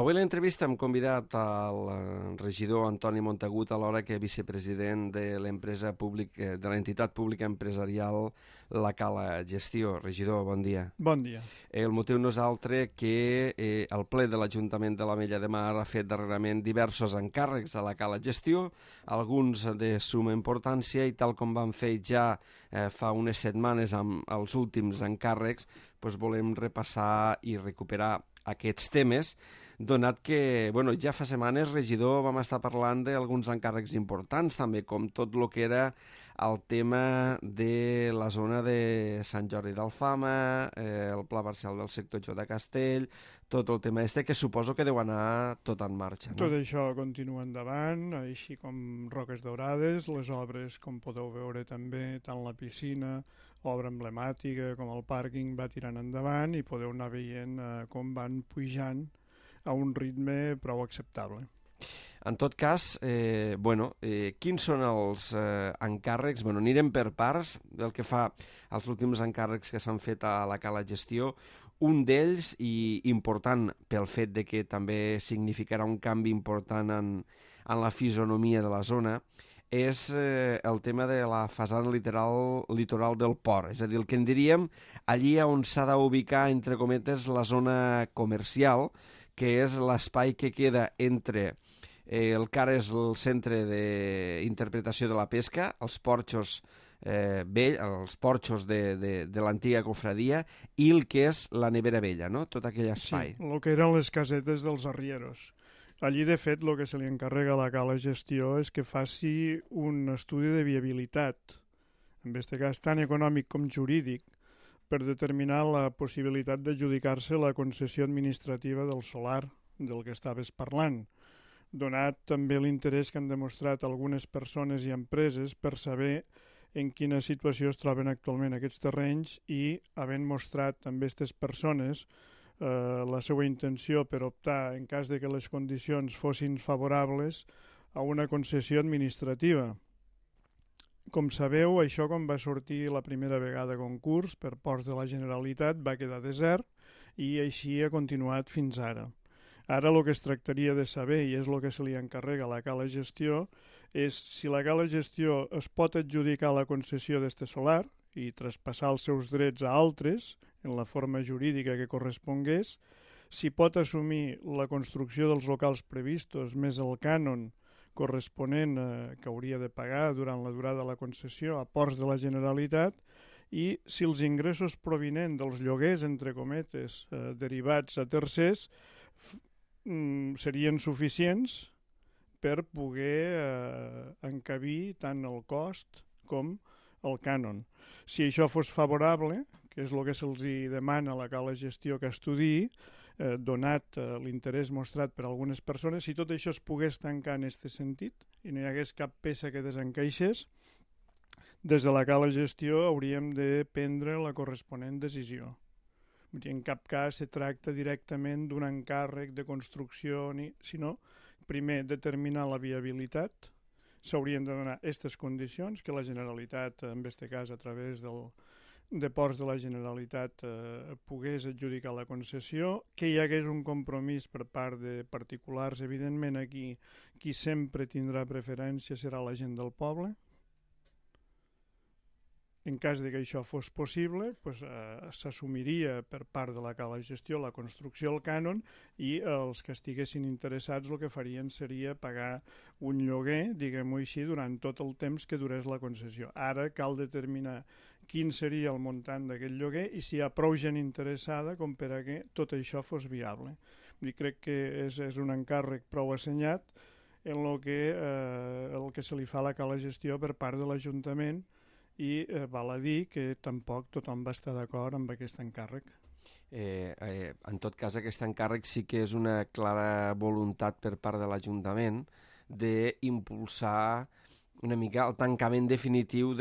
Avui a l'entrevista hem convidat al regidor Antoni Montagut, alhora que vicepresident de l'empresa pública, de l'entitat pública empresarial La Cala Gestió. Regidor, bon dia. Bon dia. El motiu no és altre que el ple de l'Ajuntament de l'Ametlla de Mar ha fet darrerament diversos encàrrecs a La Cala Gestió, alguns de suma importància, i tal com vam fer ja fa unes setmanes amb els últims encàrrecs, volem repassar i recuperar aquests temes, donat que ja fa setmanes, regidor, vam estar parlant d'alguns encàrrecs importants també, com tot el que era el tema de la zona de Sant Jordi d'Alfama, el pla parcial del sector J de Castell, tot el tema que suposo que deu anar tot en marxa, no? Tot això continua endavant, així com Roques Daurades, les obres, com podeu veure també, tant la piscina, obra emblemàtica, com el pàrquing va tirant endavant, i podeu anar veient com van pujant a un ritme prou acceptable. En tot cas, quins són els encàrrecs? Anirem per parts del que fa als últims encàrrecs que s'han fet a la Cala Gestió. Un d'ells, i important pel fet de que també significarà un canvi important en la fisonomia de la zona, és el tema de la façana litoral del port. És a dir, el que en diríem allí on s'ha d'ubicar, entre cometes, la zona comercial, que és l'espai que queda entre el que ara és el centre d'interpretació de la pesca, els porxos els porxos de l'antiga cofradia, i el que és la nevera vella, no? Tot aquell espai. Sí, el que eren les casetes dels arrieros. Allí, de fet, el que se li encarrega a la Cala Gestió és que faci un estudi de viabilitat, en aquest cas tant econòmic com jurídic, per determinar la possibilitat d'adjudicar-se la concessió administrativa del solar del que estaves parlant, donat també l'interès que han demostrat algunes persones i empreses per saber en quina situació es troben actualment aquests terrenys, i havent mostrat també aquestes persones la seva intenció per optar, en cas de que les condicions fossin favorables, a una concessió administrativa. Com sabeu, això quan va sortir la primera vegada a concurs per Ports de la Generalitat va quedar desert, i així ha continuat fins ara. Ara el que es tractaria de saber, i és el que se li encarrega a la Cala Gestió, és si la Cala Gestió es pot adjudicar la concessió d'este solar i traspassar els seus drets a altres en la forma jurídica que correspongués, si pot assumir la construcció dels locals previstos més el cànon corresponent que hauria de pagar durant la durada de la concessió a Ports de la Generalitat, i si els ingressos provinents dels lloguers, entre cometes, derivats a tercers, serien suficients per poder encabir tant el cost com el cànon. Si això fos favorable, que és el que se'ls demana a la Cala Gestió que estudiï, donat l'interès mostrat per algunes persones, si tot això es pogués tancar en aquest sentit i no hi hagués cap peça que desencaixés, des de la Cala Gestió hauríem de prendre la corresponent decisió. En cap cas se tracta directament d'un encàrrec de construcció, sinó primer determinar la viabilitat. S'haurien de donar aquestes condicions, que la Generalitat, en aquest cas a través de Ports de la Generalitat, pogués adjudicar la concessió, que hi hagués un compromís per part de particulars. Evidentment aquí qui sempre tindrà preferència serà la gent del poble. En cas de que això fos possible, s'assumiria per part de la Cala Gestió la construcció del cànon, i els que estiguessin interessats el que farien seria pagar un lloguer, diguem-ho així, durant tot el temps que durés la concessió. Ara cal determinar quin seria el muntant d'aquest lloguer i si hi ha prou gent interessada com per a que tot això fos viable. Crec que és un encàrrec prou assenyat en el que se li fa a la Cala Gestió per part de l'Ajuntament, i val a dir que tampoc tothom va estar d'acord amb aquest encàrrec. En tot cas, aquest encàrrec sí que és una clara voluntat per part de l'Ajuntament d'impulsar una mica el tancament definitiu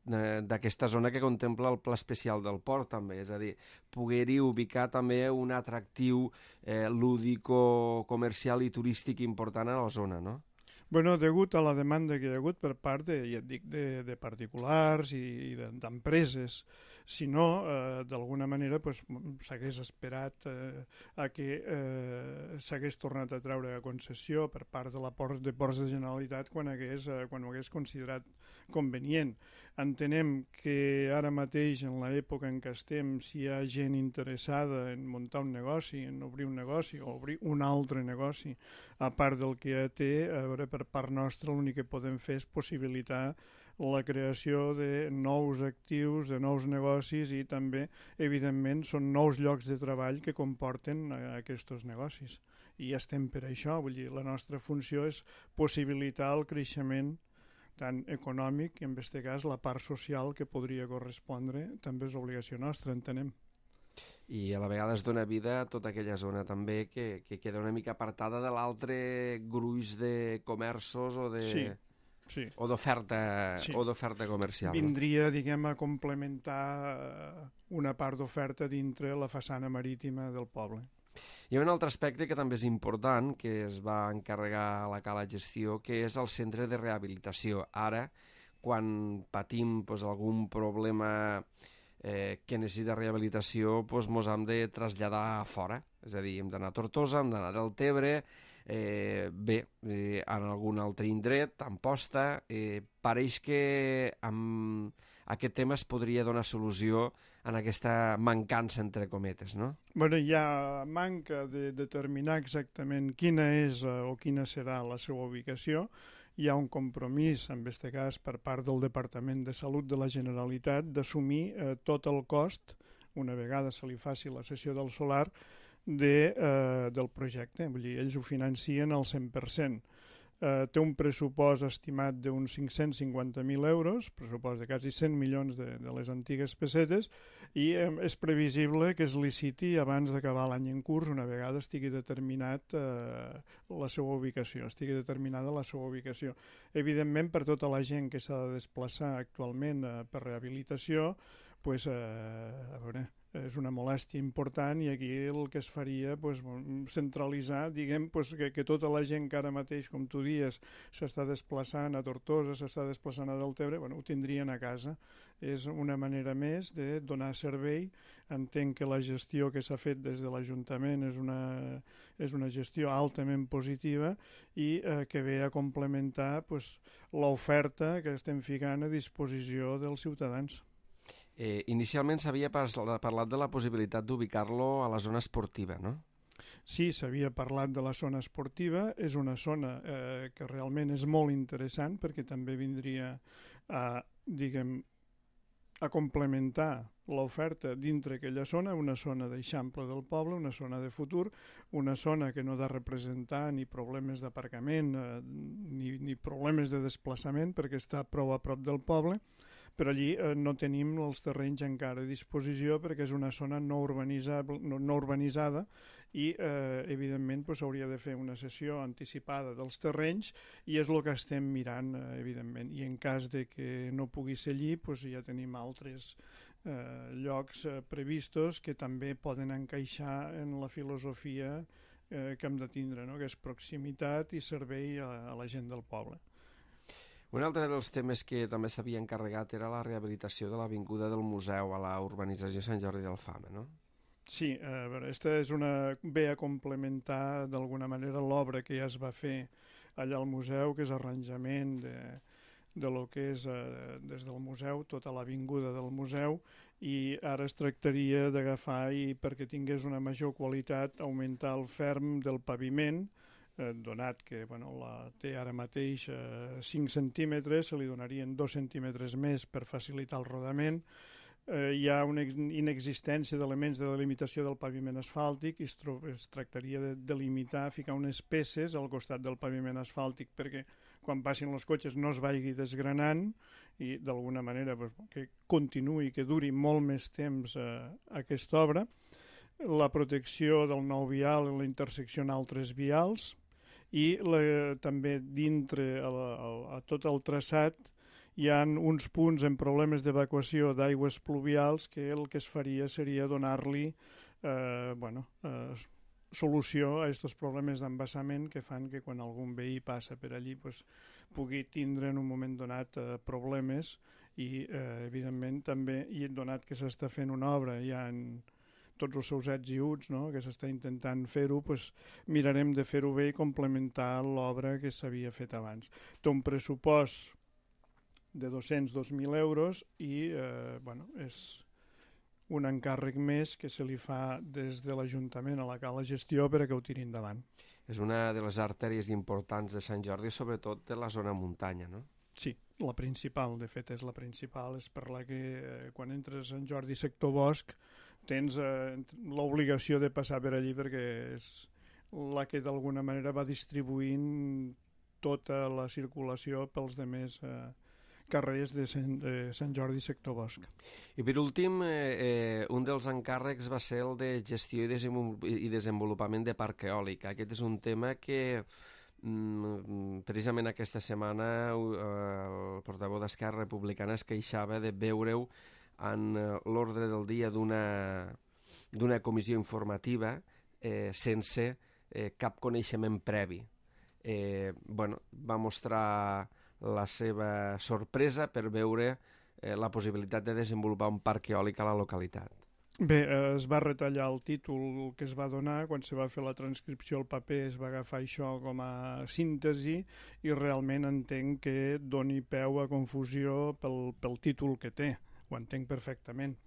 d'aquesta zona que contempla el Pla Especial del Port, també. És a dir, poder-hi ubicar també un atractiu lúdico, comercial i turístic important a la zona, no? Bueno, degut a la demanda que hi ha hagut per part ja et dic, de particulars i d'empreses. Si no, d'alguna manera pues, s'hagués esperat a que s'hagués tornat a treure a concessió per part de Ports de Generalitat quan ho hagués considerat convenient. Entenem que ara mateix, en l'època en què estem, si hi ha gent interessada en muntar un negoci, en obrir un negoci o obrir un altre negoci, a part del que ja té, a veure, per part nostra l'únic que podem fer és possibilitar la creació de nous actius, de nous negocis i també, evidentment, són nous llocs de treball que comporten aquests negocis. I estem per això, vull dir, la nostra funció és possibilitar el creixement tant econòmic i, en aquest cas, la part social que podria correspondre també és obligació nostra, entenem. I a la vegada es dona vida a tota aquella zona també que queda una mica apartada de l'altre gruix de comerços o de... Sí. O d'oferta comercial. Vindria, diguem, a complementar una part d'oferta dintre la façana marítima del poble. Hi ha un altre aspecte que també és important, que es va encarregar a la Cala Gestió, que és el centre de rehabilitació. Ara, quan patim algun problema que necessita rehabilitació, ens hem de traslladar a fora. És a dir, hem d'anar a Tortosa, hem d'anar a Deltebre, en algun altre indret, a Amposta. Pareix que amb aquest tema es podria donar solució en aquesta mancança, entre cometes, no? Bueno, hi ha manca de determinar exactament quina és o quina serà la seva ubicació. Hi ha un compromís, en aquest cas, per part del Departament de Salut de la Generalitat d'assumir tot el cost, una vegada se li faci la cessió del solar, del projecte. Vull dir, ells ho financien al 100%. Té un pressupost estimat d'uns 550.000 euros, pressupost de quasi 100 milions de les antigues pessetes, i és previsible que es liciti abans d'acabar l'any en curs, una vegada estigui determinat la seva ubicació, Evidentment, per tota la gent que s'ha de desplaçar actualment per rehabilitació, a veure, és una molèstia important i aquí el que es faria centralitzar, diguem, que tota la gent que ara mateix, com tu dies, s'està desplaçant a Tortosa, s'està desplaçant a Deltebre, ho tindrien a casa. És una manera més de donar servei. Entenc que la gestió que s'ha fet des de l'Ajuntament és una gestió altament positiva i que ve a complementar l'oferta que estem ficant a disposició dels ciutadans. Inicialment s'havia parlat de la possibilitat d'ubicar-lo a la zona esportiva, no? Sí, s'havia parlat de la zona esportiva. És una zona que realment és molt interessant perquè també vindria a complementar l'oferta dintre aquella zona, una zona d'eixample del poble, una zona de futur, una zona que no ha de representar ni problemes d'aparcament ni problemes de desplaçament perquè està prou a prop del poble, però allí no tenim els terrenys encara a disposició perquè és una zona no urbanitzada i evidentment s'hauria de fer una cessió anticipada dels terrenys i és el que estem mirant, evidentment. I en cas de que no pugui ser allí, ja tenim altres llocs previstos que també poden encaixar en la filosofia que hem de tindre, no? Que és proximitat i servei a la gent del poble. Un altre dels temes que també s'havia encarregat era la rehabilitació de l'avinguda del Museu a la urbanització Sant Jordi d'Alfama, no? Sí, aquesta ve a complementar d'alguna manera l'obra que ja es va fer allà al museu, que és arranjament de lo que és des del museu, tota l'avinguda del museu, i ara es tractaria d'agafar i perquè tingués una major qualitat augmentar el ferm del paviment, donat que té ara mateix 5 centímetres, se li donarien 2 centímetres més per facilitar el rodament. Hi ha una inexistència d'elements de delimitació del paviment asfàltic i es tractaria de delimitar, ficar unes peces al costat del paviment asfàltic perquè quan passin els cotxes no es vagi desgranant i d'alguna manera que continuï, que duri molt més temps aquesta obra. La protecció del nou vial i la intersecció en altres vials i també dintre a tot el traçat hi ha uns punts en problemes d'evacuació d'aigües pluvials que el que es faria seria donar-li solució a aquests problemes d'embassament que fan que quan algun veí passa per allí pues, pugui tindre en un moment donat problemes i evidentment també, i donat que s'està fent una obra ja en tots els seus ets i uts, no? Que s'està intentant fer-ho, pues, mirarem de fer-ho bé i complementar l'obra que s'havia fet abans. Té un pressupost de 200.000 euros i bueno, és un encàrrec més que se li fa des de l'Ajuntament a la Cala Gestió per a que ho tiri endavant. És una de les artèries importants de Sant Jordi, sobretot de la zona muntanya, no? Sí, la principal, de fet és la principal, és per la que quan entres a Sant Jordi sector bosc tens l'obligació de passar per allí perquè és la que d'alguna manera va distribuint tota la circulació pels demés carrers de Sant Jordi sector bosc. I per últim, un dels encàrrecs va ser el de gestió i desenvolupament de parc eòlic. Aquest és un tema que precisament aquesta setmana el portaveu d'Esquerra Republicana es queixava de veure-ho en l'ordre del dia d'una comissió informativa sense cap coneixement previ. Bueno, va mostrar la seva sorpresa per veure la possibilitat de desenvolupar un parc eòlic a la localitat. Bé, es va retallar el títol que es va donar, quan se va fer la transcripció al paper es va agafar això com a síntesi i realment entenc que doni peu a confusió pel títol que té, ho entenc perfectament.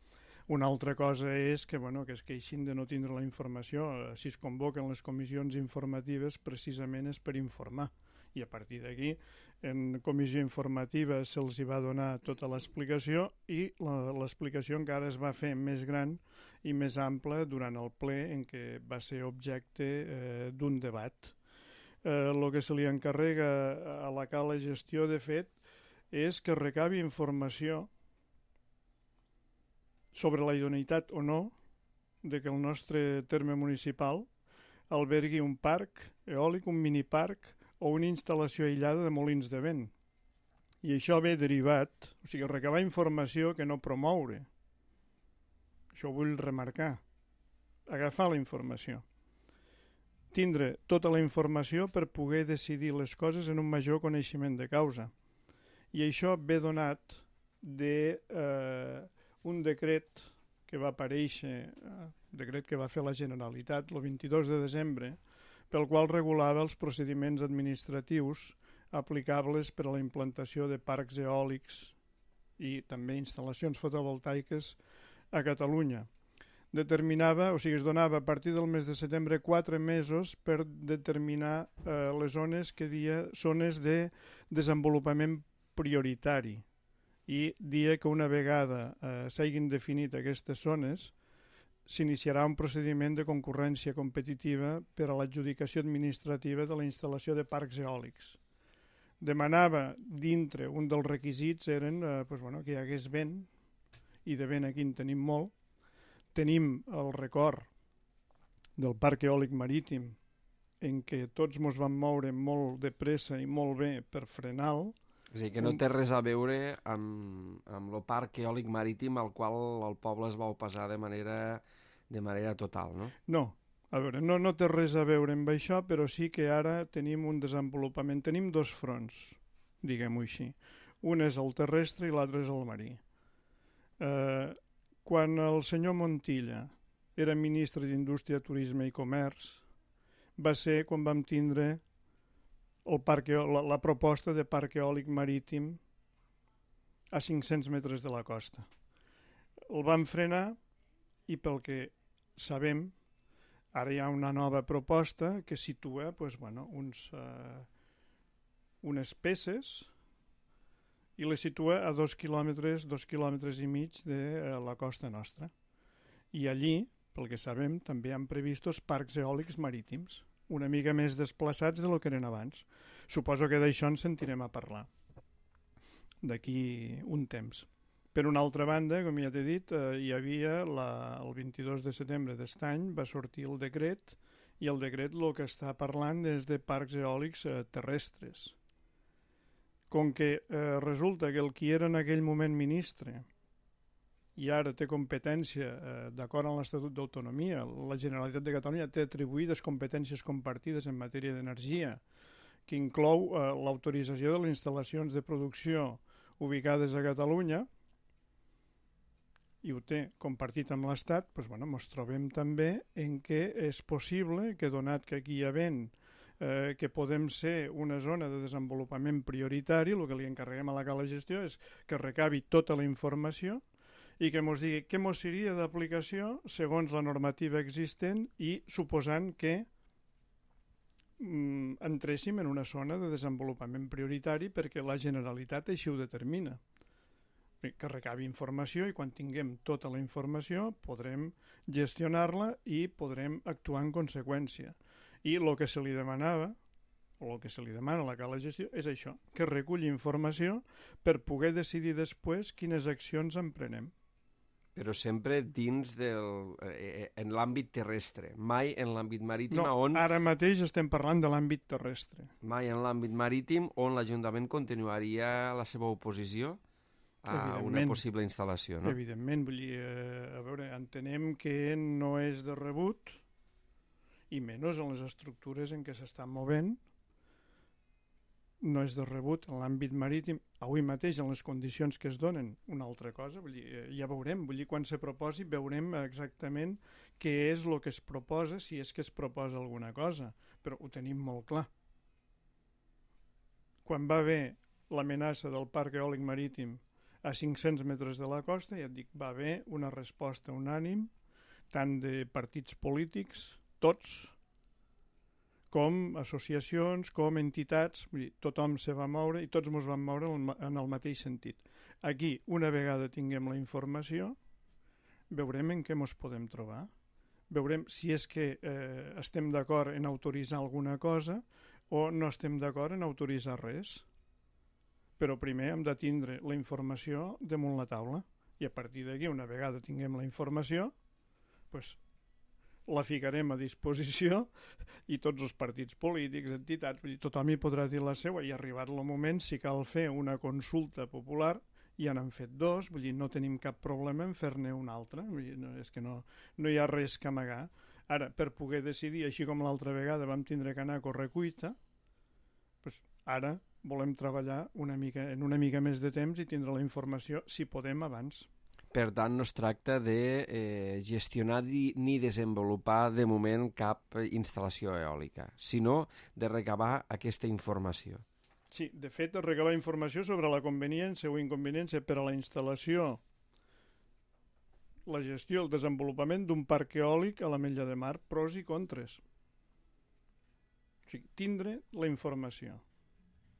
Una altra cosa és que, bueno, que es queixin de no tindre la informació. Si es convoquen les comissions informatives precisament és per informar. I a partir d'aquí, en comissió informativa se'ls va donar tota l'explicació i l'explicació encara es va fer més gran i més ampla durant el ple en què va ser objecte d'un debat. El que se li encarrega a la Cala Gestió, de fet, és que recabi informació sobre la idoneïtat o no de que el nostre terme municipal albergui un parc eòlic, un miniparc o una instal·lació aïllada de molins de vent. I això ve derivat, o sigui, recabar informació que no promoure. Això ho vull remarcar. Agafar la informació. Tindre tota la informació per poder decidir les coses en un major coneixement de causa. I això ve donat d'un decret que va aparèixer, decret que va fer la Generalitat el 22 de desembre, pel qual regulava els procediments administratius aplicables per a la implantació de parcs eòlics i també instal·lacions fotovoltaiques a Catalunya. Determinava, o sigui, es donava a partir del mes de setembre 4 mesos per determinar les zones que dia zones de desenvolupament prioritari i dia que una vegada s'hagin definit aquestes zones s'iniciarà un procediment de concurrència competitiva per a l'adjudicació administrativa de la instal·lació de parcs eòlics. Demanava dintre, un dels requisits eren que hi hagués vent, i de vent aquí en tenim molt. Tenim el record del parc eòlic marítim en què tots ens vam moure molt de pressa i molt bé per frenar-lo. És a dir, que no té res a veure amb el parc eòlic marítim al qual el poble es va oposar de manera total, no? No, a veure, no té res a veure amb això, però sí que ara tenim un desenvolupament. Tenim dos fronts, diguem-ho així. Un és el terrestre i l'altre és el marí. Quan el senyor Montilla era ministre d'Indústria, Turisme i Comerç, va ser quan vam tindre la proposta de parc eòlic marítim a 500 metres de la costa. El van frenar i pel que sabem, ara hi ha una nova proposta que situa unes peces i les situa a 2 quilòmetres i mig de la costa nostra. I allí, pel que sabem, també han previstos parcs eòlics marítims, una mica més desplaçats de lo que eren abans. Suposo que d'això en sentirem a parlar d'aquí un temps. Per una altra banda, com ja t'he dit, hi havia el 22 de setembre d'aquest any va sortir el decret i el decret el que està parlant és de parcs eòlics terrestres. Com que resulta que el qui era en aquell moment ministre i ara té competència, d'acord amb l'Estatut d'Autonomia, la Generalitat de Catalunya té atribuïdes competències compartides en matèria d'energia, que inclou l'autorització de les instal·lacions de producció ubicades a Catalunya, i ho té compartit amb l'Estat, doncs, ens trobem també en què és possible que, donat que aquí hi ha vent, que podem ser una zona de desenvolupament prioritari, el que li encarreguem a la Cala Gestió és que recabi tota la informació i que ens digui què ens seria d'aplicació segons la normativa existent i suposant que entréssim en una zona de desenvolupament prioritari perquè la Generalitat així ho determina. Que recabi informació i quan tinguem tota la informació podrem gestionar-la i podrem actuar en conseqüència. I el que se li demanava, o el que se li demana a la Cala Gestió, és això, que reculli informació per poder decidir després quines accions emprenem. Però sempre dins en l'àmbit terrestre, mai en l'àmbit marítim. No, ara mateix estem parlant de l'àmbit terrestre. Mai en l'àmbit marítim on l'Ajuntament continuaria la seva oposició a una possible instal·lació, no? Evidentment, vull dir, a veure, entenem que no és de rebut, i menys en les estructures en què s'estan movent, no és de rebut en l'àmbit marítim, avui mateix en les condicions que es donen, una altra cosa, vull dir, ja veurem, quan se proposi veurem exactament què és el que es proposa, si és que es proposa alguna cosa, però ho tenim molt clar. Quan va haver l'amenaça del parc eòlic marítim a 500 metres de la costa, ja et dic, va haver una resposta unànime, tant de partits polítics, tots, com associacions, com entitats, vull dir, tothom se va moure i tots ens vam moure en el mateix sentit. Aquí, una vegada tinguem la informació, veurem en què ens podem trobar, veurem si és que estem d'acord en autoritzar alguna cosa o no estem d'acord en autoritzar res. Però primer hem de tindre la informació damunt la taula i a partir d'aquí, una vegada tinguem la informació, doncs la ficarem a disposició i tots els partits polítics, entitats, tothom hi podrà dir la seva i arribat el moment, si cal fer una consulta popular, ja n'han fet dos, vull dir, no tenim cap problema en fer-ne una altra, vull dir, és que no hi ha res que amagar. Ara, per poder decidir, així com l'altra vegada vam tindre que anar a correcuita, doncs ara volem treballar en una mica més de temps i tindre la informació, si podem, abans. Per tant, no es tracta de gestionar ni desenvolupar de moment cap instal·lació eòlica, sinó de recabar aquesta informació. Sí, de fet, recabar informació sobre la conveniència o inconveniència per a la instal·lació, la gestió, el desenvolupament d'un parc eòlic a l'Ametlla de Mar, pros i contres. O sigui, tindre la informació.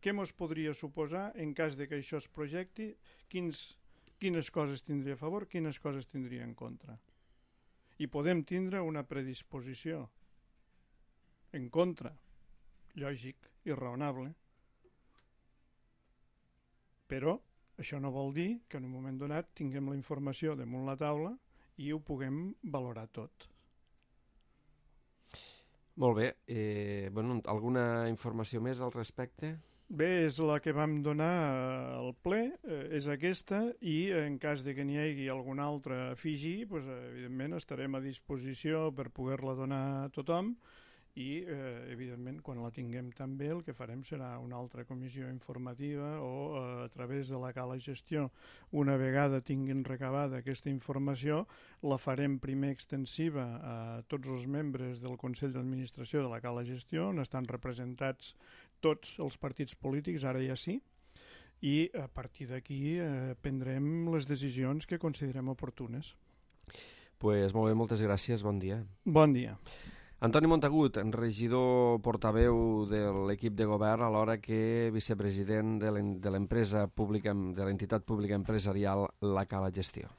Què ens podria suposar en cas de que això es projecti, quines coses tindria a favor, quines coses tindria en contra. I podem tindre una predisposició en contra, lògic i raonable, però això no vol dir que en un moment donat tinguem la informació damunt la taula i ho puguem valorar tot. Molt bé. Alguna informació més al respecte? Bé, és la que vam donar al ple, és aquesta, i en cas de que n'hi hagi alguna altra a afegir, doncs, evidentment estarem a disposició per poder-la donar a tothom i, evidentment, quan la tinguem també el que farem serà una altra comissió informativa o a través de la Cala Gestió, una vegada tinguin recabada aquesta informació, la farem primer extensiva a tots els membres del Consell d'Administració de la Cala Gestió, on estan representats tots els partits polítics, ara ja sí, i a partir d'aquí prendrem les decisions que considerem oportunes. Pues molt bé, moltes gràcies, bon dia. Bon dia. Antoni Montagut, regidor portaveu de l'equip de govern, alhora que vicepresident de l'empresa pública, de l'entitat pública empresarial La Cala Gestió.